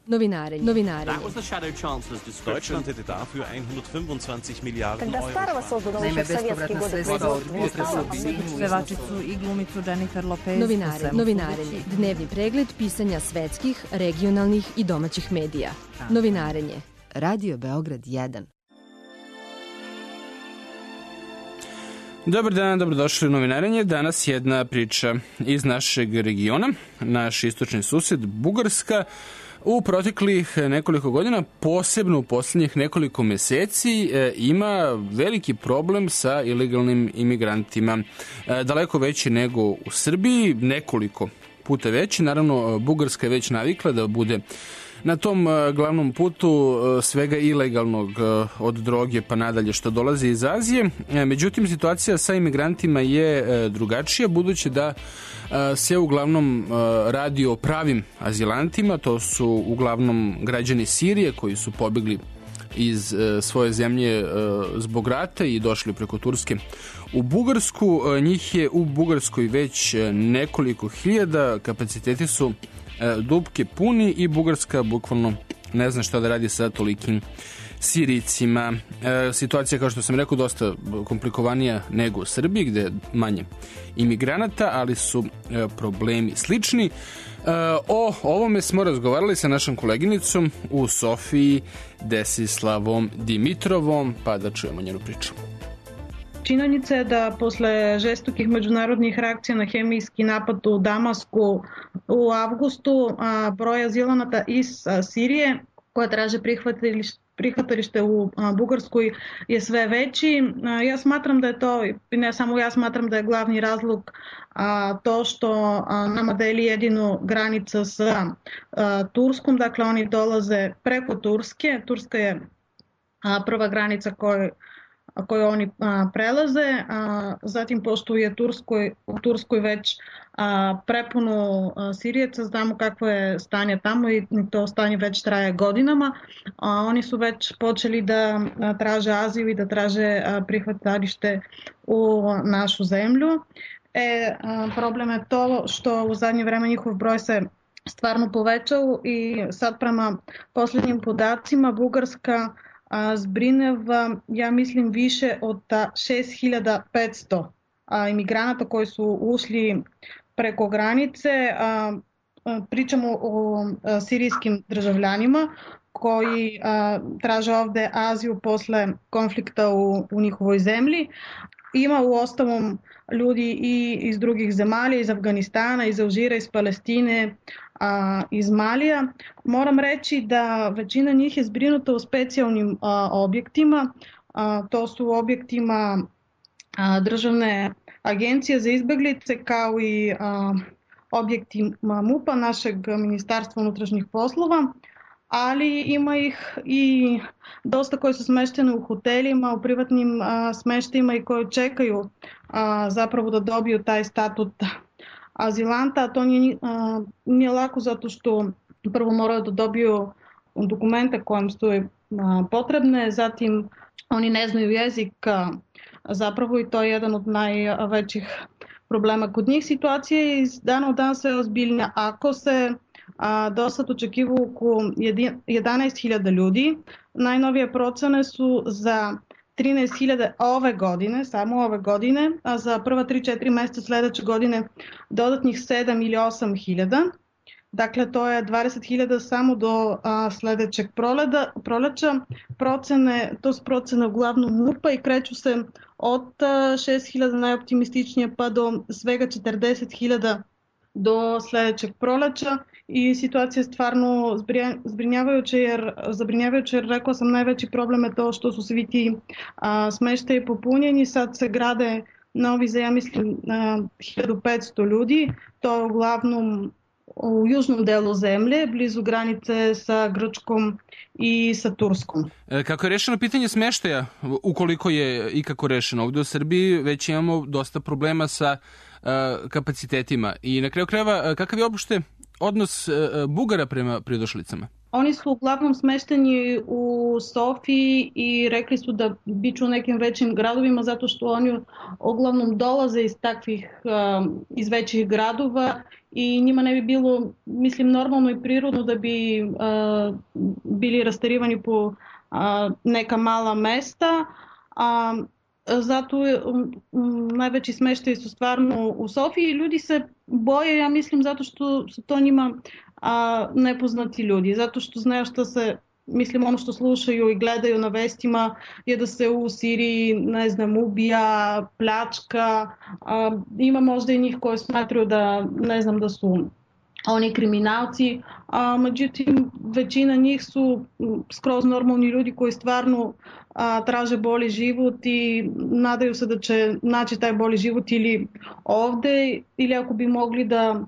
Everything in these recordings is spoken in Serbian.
Novinarenje. Deutschland hätte dafür 125 Milijarden Когда старого создан Naime, еще в советские bespovratna годы sredstva od производства pevačicu i glumicu Jennifer Lopez. Novinarenje. Dnevni pregled pisanja svetskih, regionalnih i domaćih medija. Novinarenje. Radio Beograd 1. Dobar dan, dobrodošli u Novinarenje. Danas jedna priča iz našeg regiona. Naš istočni susjed Bugarska u proteklih nekoliko godina, posebno u posljednjih nekoliko meseci, ima veliki problem sa ilegalnim imigrantima. Daleko veći nego u Srbiji, nekoliko puta veći. Naravno, Bugarska je već navikla da bude na tom glavnom putu svega ilegalnog, od droge pa nadalje što dolazi iz Azije. Međutim, situacija sa imigrantima je drugačija, budući da se uglavnom radi o pravim azilantima. To su uglavnom građani Sirije koji su pobegli iz svoje zemlje zbog rata i došli preko Turske u Bugarsku. Njih je u Bugarskoj već nekoliko hiljada, kapaciteti su dupke puni i Bugarska bukvalno ne zna šta da radi sa tolikim Sirijcima. Situacija, kao što sam rekao, dosta komplikovanija nego u Srbiji, gde je manje imigranata, ali su problemi slični. O ovome smo razgovarali sa našom koleginicom u Sofiji, Desislavom Dimitrovom, pa da čujemo njenu priču. Činjenica je da posle žestokih međunarodnih reakcija na hemijski napad u Damasku u avgustu broj azilanata iz Sirije koja traže prihvatilište u Bugarskoj je sve veći. Ja smatram da je to, i ne samo ja smatram da je glavni razlog to što nama deli jedinu granica sa Turskom, dakle oni dolaze preko Turske. Turska je prva granica koju oni prelaze, zatim pošto je u Turskoj već prepuno Sirijeca, znamo kakvo je stanje tamo i to stanje već traje godinama. Oni su već počeli da traže azil i da traže prihvatalište u našu zemlju. Problem je to što u zadnje vreme njihov broj se stvarno povećao i sad prema posljednjim podacima Bugarska zbrineva, ja mislim, više od 6500 imigranata koji su ušli preko granice. Pričamo o sirijskim državljanima koji traže ovde azil posle konflikta u njihovoj zemlji. Ima u ostalom ljudi i iz drugih zemalja, iz Afganistana, iz Alžira, iz Palestine, iz Malija. Moram reći da većina njih je zbrinuta u specijalnim objektima. To su objektima Državne agencije za izbeglice kao i objekti MUP-a, našeg Ministarstva unutrašnjih poslova, ali ima ih i dosta koji su smešteni u hotelima, u privatnim smeštajima i koji čekaju zapravo da dobiju taj statut azilanta, a to nije lako zato što prvo moraju da dobiju dokumente kojim su potrebne, zatim oni ne znaju jezik zapravo i to je jedan od najvećih problema kod njih. Situacija je iz dana u dan sve ozbiljnija. Ako se do sad očekivalo oko 11.000 ljudi, najnovije procene su za 13.000 ove godine, samo ove godine, a za prva 3-4 meseca sledeće godine dodatnih 7 ili 8.000. Dakle, to je 20.000 samo do sledećeg proleća. To su procene uglavnom MUP-a i kreću se od 6.000 najoptimističnije pa do svega 40.000 do sledećeg proleća. I situacija je stvarno zabrinjavajuća jer rekla sam najveći problem je to što su svi ti smeštaji popunjeni, sad se grade novi za ja mislim 1500 ljudi, to je uglavnom u južnom delu zemlje, blizu granice sa Grčkom i sa Turskom. Kako je rešeno pitanje smeštaja, ukoliko je ikako rešeno? Ovde u Srbiji već imamo dosta problema sa kapacitetima i na kraju krajeva kakav je uopšte odnos Bugara prema pridošlicama? Oni su uglavnom smešteni u Sofiji i rekli su da biću u nekim većim gradovima zato što oni uglavnom dolaze iz takvih, iz većih gradova i njima ne bi bilo, mislim, normalno i prirodno da bi bili rasterivani po neka mala mesta. Zato najveći smeštaj su stvarno u Sofiji i ljudi se boje, ja mislim, zato što su to njima nepoznati ljudi, zato što znaju što se, mislim, ono što slušaju i gledaju na vestima je da se u Siriji, ne znam, ubija, pljačka, ima možda i njih koji smatraju da, ne znam, da su oni kriminalci, međutim većina njih su skroz normalni ljudi koji stvarno traže bolji život i nadaju se da će naći taj bolji život ili ovde ili ako bi mogli da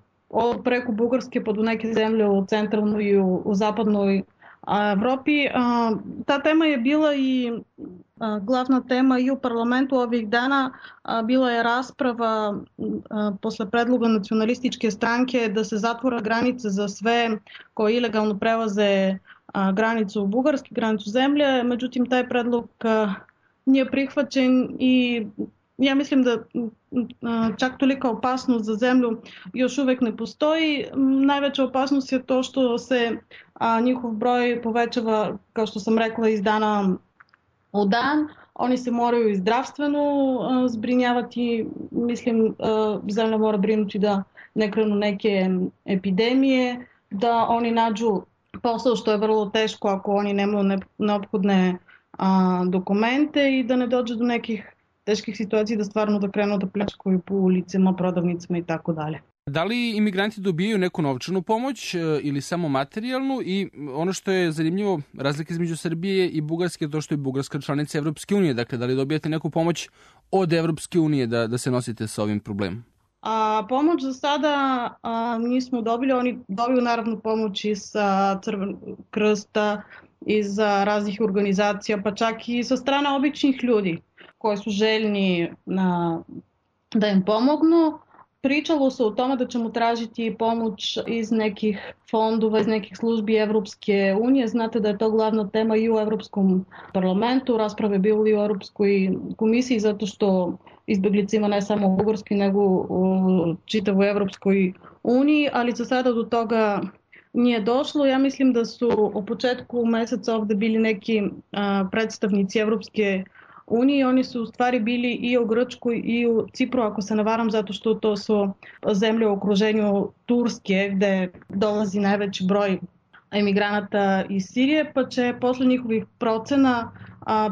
preko Bugarske pa do neke zemlje u centralnoj i u zapadnoj Evropi. Ta tema je bila i glavna tema i u parlamentu ovih dana. Bila je rasprava posle predloga nacionalističke stranke da se zatvora granice za sve koji ilegalno prelaze granicu Bugarske, granicu zemlje. Međutim, taj predlog nije prihvaćen i ja mislim da čak tolika opasnost za zemlju još uvek ne postoji. Najveća opasnost je to što se njihov broj povećava, kao što sam rekla, iz dana u dan. Oni se moraju i zdravstveno zbrinjavati. Mislim, zemlja mora brinuti da ne krenu neke epidemije, da oni nađu posao što je vrlo teško ako oni nemaju neophodne dokumente i da ne dođe do nekih teških situacija da stvarno da krenu da pljačkaju po ulicama, prodavnicama i tako dalje. Da li imigranti dobijaju neku novčanu pomoć ili samo materijalnu? I ono što je zanimljivo, razlika između Srbije i Bugarske je to što je Bugarska članica Evropske unije. Dakle, da li dobijate neku pomoć od Evropske unije da se nosite sa ovim problemom? Pomoć za sada nismo dobili. Oni dobiju naravno pomoć iz Crvenog krsta, iz raznih organizacija, pa čak i sa strane običnih ljudi koji su željni da im pomognu. Pričalo se o tome da ćemo tražiti pomoć iz nekih fondova, iz nekih službi Evropske unije. Znate da je to glavna tema i u Evropskom parlamentu. Rasprave bili u Europskoj komisiji zato što izbjeglica ima ne samo u Bugarskoj nego u čitavoj Evropskoj uniji, ali za sada do toga nije došlo. Ja mislim da su u početku meseca ovde bili neki predstavnici Evropske unije. Oni su u stvari bili i u Grčkoj i u Cipru, ako se ne varam, zato što to su zemlje u okruženju Turske, gde dolazi najveći broj emigranata iz Sirije, pa će posle njihovih procena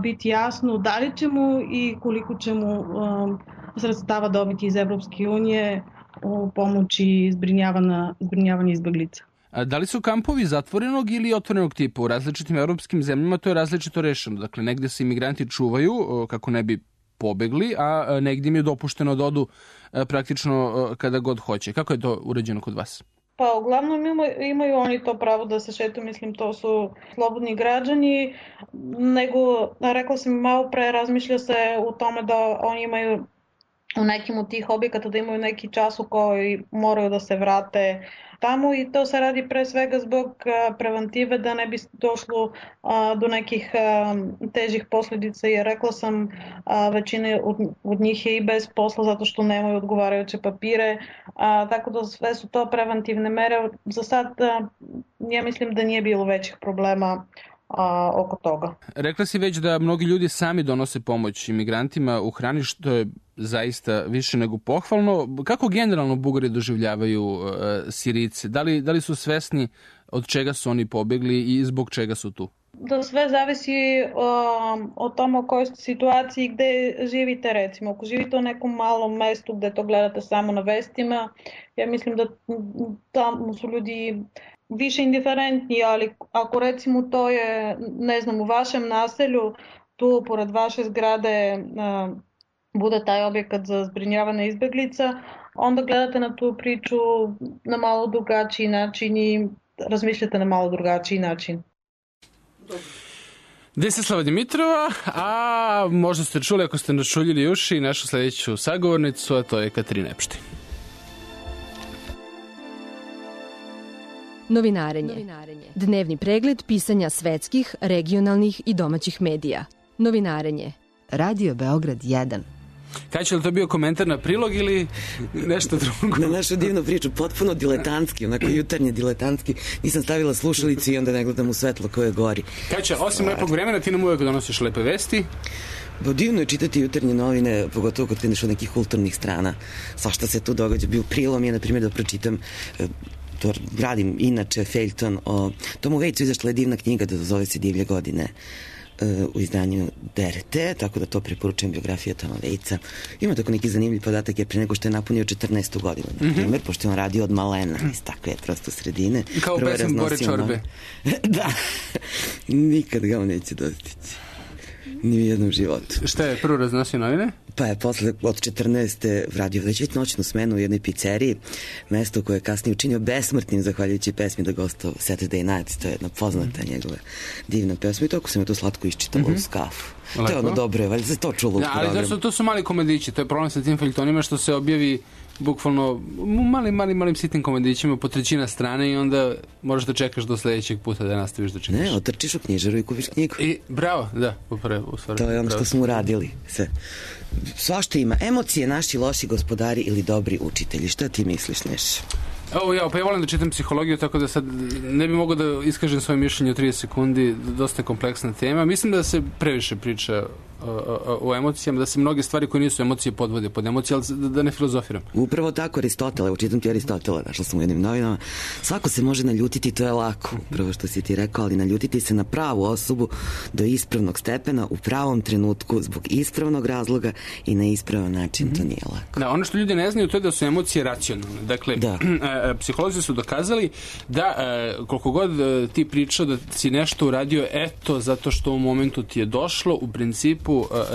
biti jasno da li ćemo i koliko ćemo sredstava dobiti iz Evropske unije u pomoći zbrinjavanja izbeglica. Da li su kampovi zatvorenog ili otvorenog tipa? U različitim evropskim zemljama to je različito rešeno. Dakle, negde se imigranti čuvaju kako ne bi pobegli, a negdje im je dopušteno da odu praktično kada god hoće. Kako je to uređeno kod vas? Pa uglavnom imaju oni to pravo da se šetaju, mislim to su slobodni građani, nego, rekla sam malo pre, razmišlja se u tome da oni imaju u nekim od tih objekata da imaju neki čas u koji moraju da se vrate tamo i to se radi pre svega zbog preventive da ne bi došlo do nekih težih posljedica, jer rekla sam većina od njih je i bez posla zato što nemaju odgovarajuće papire, tako da sve su to preventivne mere. Za sad ja mislim da nije bilo većih problema oko toga. Rekla si već da mnogi ljudi sami donose pomoć imigrantima u hrani, što je zaista više nego pohvalno. Kako generalno Bugari doživljavaju Sirijce? Da li su svesni od čega su oni pobegli i zbog čega su tu? Da sve zavisi o tome u kojoj situaciji gde živite, recimo. Ako živite u nekom malom mestu gde to gledate samo na vestima, ja mislim da tamo su ljudi više indiferentni, ali ako recimo to je, ne znam, u vašem naselju, tu pored vaše zgrade bude taj objekat za zbrinjavanje izbeglica, onda gledate na tu priču na malo drugačiji način i razmišljate na malo drugačiji način. Desislava Dimitrova, a možda ste čuli, ako ste načuljili uši, našu sljedeću sagovornicu, a to je Katarina Epštin. Novinarenje. Dnevni pregled pisanja svetskih, regionalnih i domaćih medija. Novinarenje. Radio Beograd 1. Kaj će li to bio komentar na prilog ili nešto drugo? Na našu divnu priču, potpuno diletantski, onako jutarnje diletantski. Nisam stavila slušalicu i onda ne gledam u svetlo koje gori. Kaj će, osim lepog vremena, ti nam uvek donosiš lepe vesti? Divno je čitati jutarnje novine, pogotovo kad kreneš od nekih kulturnih strana. Svašta se tu događa. Bio prilom je, na primjer, da pročitam, to radim inače, feljton o Tomu Vejcu, izašla je divna knjiga, da zove se Divlje godine, u izdanju DRT, tako da to preporučujem, biografija Toma Vejca. Ima tako neki zanimljiv podatak, jer pre nego što je napunio 14. godinu, na primjer, pošto je on radio od malena, iz takve prosto sredine. Kao pesem Bore Čorbe. Da, nikad ga on neće dostići. Ni u jednom životu. Šta je prvo raznosio novine? Pa je posle od 14. radio već noćnu smenu u jednoj pizzeriji, mesto koje je kasnije učinio besmrtnim zahvaljujući pesmi da gostao Saturday Night, to je jedna poznata njegova divna pesma i toliko sam je to slatko iščitala uz kafu. To je ono dobro, je, valjda se to čulo u programu. Ali to su mali komedići, to je problem sa tim feljtonima što se objavi bukvalno malim sitnim komedićima po trećina strane i onda možeš da čekaš do sledećeg puta da nastaviš da čitaš. Ne, otrčiš u knjižaru i kupiš knjigu. I bravo, da, upravo. To je ono što smo uradili. Sve. Svašta ima. Emocije, naši loši gospodari ili dobri učitelji. Šta ti misliš, Neša? Pa ja volim da čitam psihologiju, tako da sad ne bi mogao da iskažem svoje mišljenje u 30 sekundi, dosta je kompleksna tema. Mislim da se previše priča o emocijama, da se mnoge stvari koje nisu emocije podvode pod emocije, ali da ne filozofiram. Upravo tako, Aristotele, učitam ti Aristotele, našla sam u jednim novinama. Svako se može naljutiti, to je lako, upravo što si ti rekao, ali naljutiti se na pravu osobu do ispravnog stepena, u pravom trenutku, zbog ispravnog razloga i na ispravan način, to nije lako. Da, ono što ljudi ne znaju, to je da su emocije racionalne. Dakle, psiholozi su dokazali da koliko god ti pričao da si nešto uradio, eto, zato što u momentu ti je došlo, u principu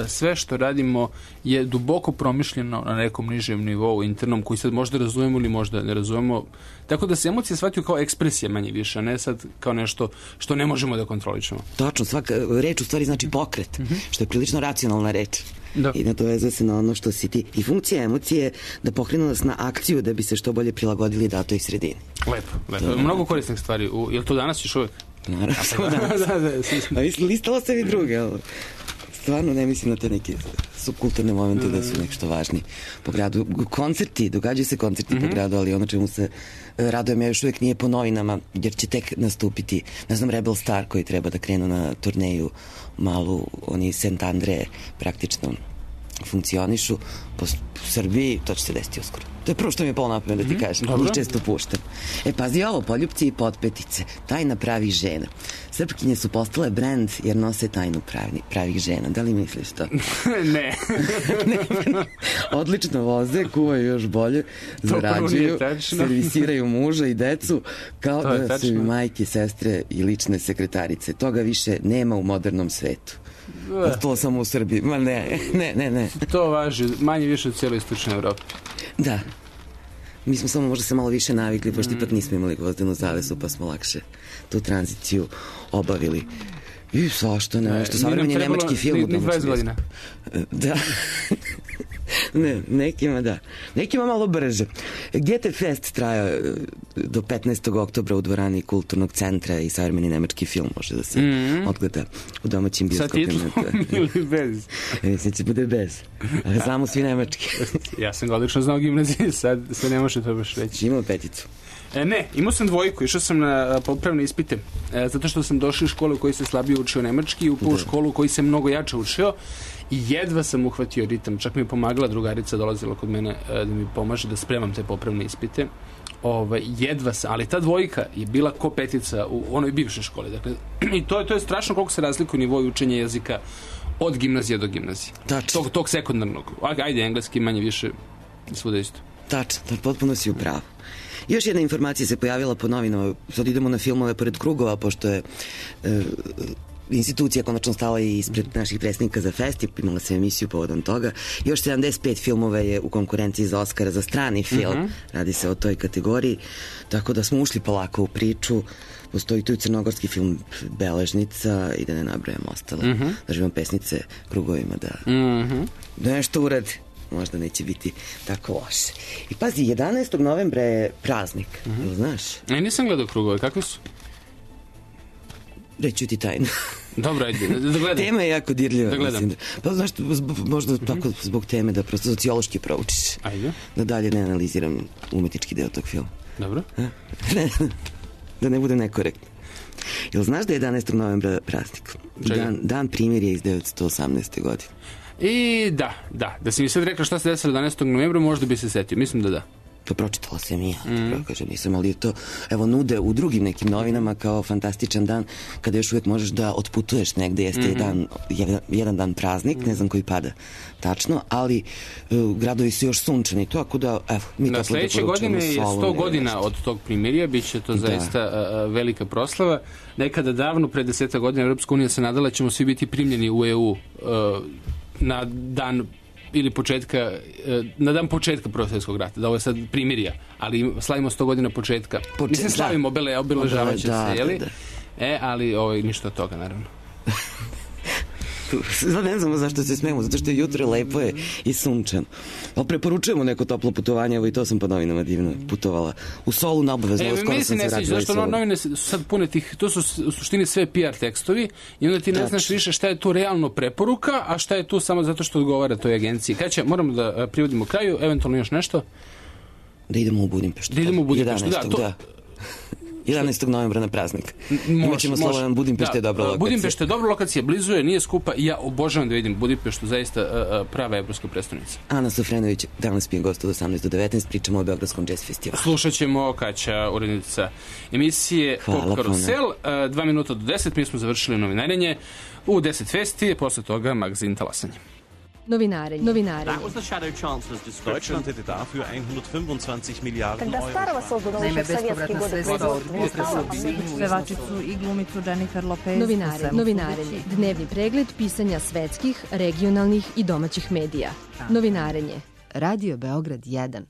sve što radimo je duboko promišljeno na nekom nižem nivou internom koji sad možda razumemo ili možda ne razumemo. Tako da se emocije shvataju kao ekspresija manje više, a ne sad kao nešto što ne možemo da kontroličemo. Točno, svaka reč u stvari znači pokret, što je prilično racionalna reč. Da. I nadovezuje se na ono što si ti. I funkcija emocije je da pokrenu nas na akciju da bi se što bolje prilagodili datoj sredini. Lepo. Mnogo korisnih stvari. Je li to danas još uvek? Naravno, danas. A listalo se i druge, ali stvarno ne mislim na te neke subkulturne momente da su nešto važni po gradu. Koncerti, događaju se koncerti po gradu, ali ono čemu se radujem ja još uvijek nije po novinama, jer će tek nastupiti, ne znam, Rebel Star koji treba da krenu na turneju malu, oni St. Andre praktično funkcionišu po Srbiji, to će se desiti uskoro. To je prvo što mi je polo napamet da ti kažem. Njih često puštam. Pazi ovo, Poljupci i potpetice. Tajna pravih žena. Srpkinje su postale brend jer nose tajnu pravih žena. Da li misliš to? Ne. Odlično voze, kuvaju još bolje, zarađuju, servisiraju muža i decu, kao da su im majke, sestre i lične sekretarice. Toga više nema u modernom svetu. To samo u Srbiji. Ma ne. To važi manje više u cijeloj istočnoj Evropi. Da. Mi smo samo možda se malo više navikli, pošto ipak nismo imali gvozdenu zavesu, pa smo lakše tu tranziciju obavili. I svašta nešto. Savremeni nemački film. Ni 20 godina. Da. Ne, nekima da. Nekima malo brže. GT Fest traja do 15. oktobra u dvorani Kulturnog centra i savremeni nemački film može da se odgleda u domaćim bioskopima. Sa titlom ili bez? Mislim će bude bez. Ali znamo svi nemački. Ja sam ga odlično znao gimnaziji, sad se ne može to baš reći. Imao peticu. Ne, imao sam dvojku, išao sam na popravne ispite, zato što sam došao u školu u kojoj se slabije učio nemački i u školu u kojoj se mnogo jače učio i jedva sam uhvatio ritam. Čak mi je pomagala drugarica, dolazila kod mene da mi pomaže da spremam te popravne ispite. Jedva sam, ali ta dvojka je bila ko petica u onoj bivšoj školi. Dakle, i to je strašno koliko se razlikuje nivou učenja jezika od gimnazije do gimnazije. Tog sekundarnog. Ajde, engleski manje više svuda isto. Tačno, potpuno si u pravu. Još jedna informacija se pojavila po novinama. Sad idemo na filmove pored krugova, pošto je institucija konačno stala i ispred naših predsjednika za fest, imala se emisiju povodom toga. Još 75 filmova je u konkurenciji za Oscara za strani film. Radi se o toj kategoriji. Tako da smo ušli polako u priču. Postoji tu i crnogorski film Beležnica i da ne nabrajam ostalo. Da živimo pesnice krugovima da nešto uradi. možda neće biti tako loše. I pazi, 11. novembra je praznik, znaš? Nisam gledao krugove, kakvi su? Reću ti tajno. Dobro, ajde, da gledam. Tema je jako dirljiva. Da gledam. Pa znaš, možda tako zbog teme da prosto sociološki proučiš. Ajde. Da dalje ne analiziram umetnički deo tog filma. Dobro. Da ne bude nekorektno. Jel znaš da je 11. novembra praznik? Dan primirja iz 1918. godine. I da si mi sad rekla šta se desilo 11. novembra, možda bi se setio. Mislim da da. To pročitala sam i ja, kažem, nisam, ali to, evo, nude u drugim nekim novinama kao fantastičan dan, kada još uvijek možeš da otputuješ negde, jeste jedan dan praznik, ne znam koji pada tačno, ali gradovi su još sunčani, tako da, evo, mi tako da poručujemo. Sledeće godine je 100 godina od tog primirja, bit će to zaista velika proslava. Nekada davno, pre 10 godina, Evropska unija se nadala ćemo svi biti primljeni u EU na dan ili na dan početka Prvog svjetskog rata, da ovo je sad primirja, ali slavimo 100 godina početka. Mislim, slavimo obeležavajuće se, jeli? Ali ništa od toga, naravno. Ne znamo zašto se smemo, zato što je jutro lepo je i sunčano. Ali preporučujemo neko toplo putovanje, evo i to sam po novinama divno putovala. U Solu na obavezno, skoro sam se vratila iz Solu. Zašto novine su sad pune tih, to su u suštini sve PR tekstovi i onda ti ne znaš više šta je tu realno preporuka, a šta je tu samo zato što odgovara toj agenciji. Kada moramo da privodimo kraju, eventualno još nešto? Da idemo u Budimpeštu. 11. novembra na praznik. Imaćemo Slobodan Budimpešta je dobra lokacija. Budimpešta je dobra lokacija, blizu je, nije skupa i ja obožavam da vidim Budimpeštu, zaista prava evropska prestonica. Ana Sofrenović danas pije gost od 18 do 19, pričamo o Beogradskom jazz festivalu. Slušat ćemo Kaća, urednica emisije Pop Karusel, 2 minuta do 10, mi smo završili novinarenje u 10 festi, posle toga magazin Talasanje. Novinarenje. Deutschland hätte dafür 125 Milliarden Euro. Naime, bespovratna sredstva od pevačicu i glumicu Jennifer Lopez. Novinarenje. Dnevni pregled pisanja svetskih, regionalnih i domaćih medija. Novinarenje. Radio Beograd 1.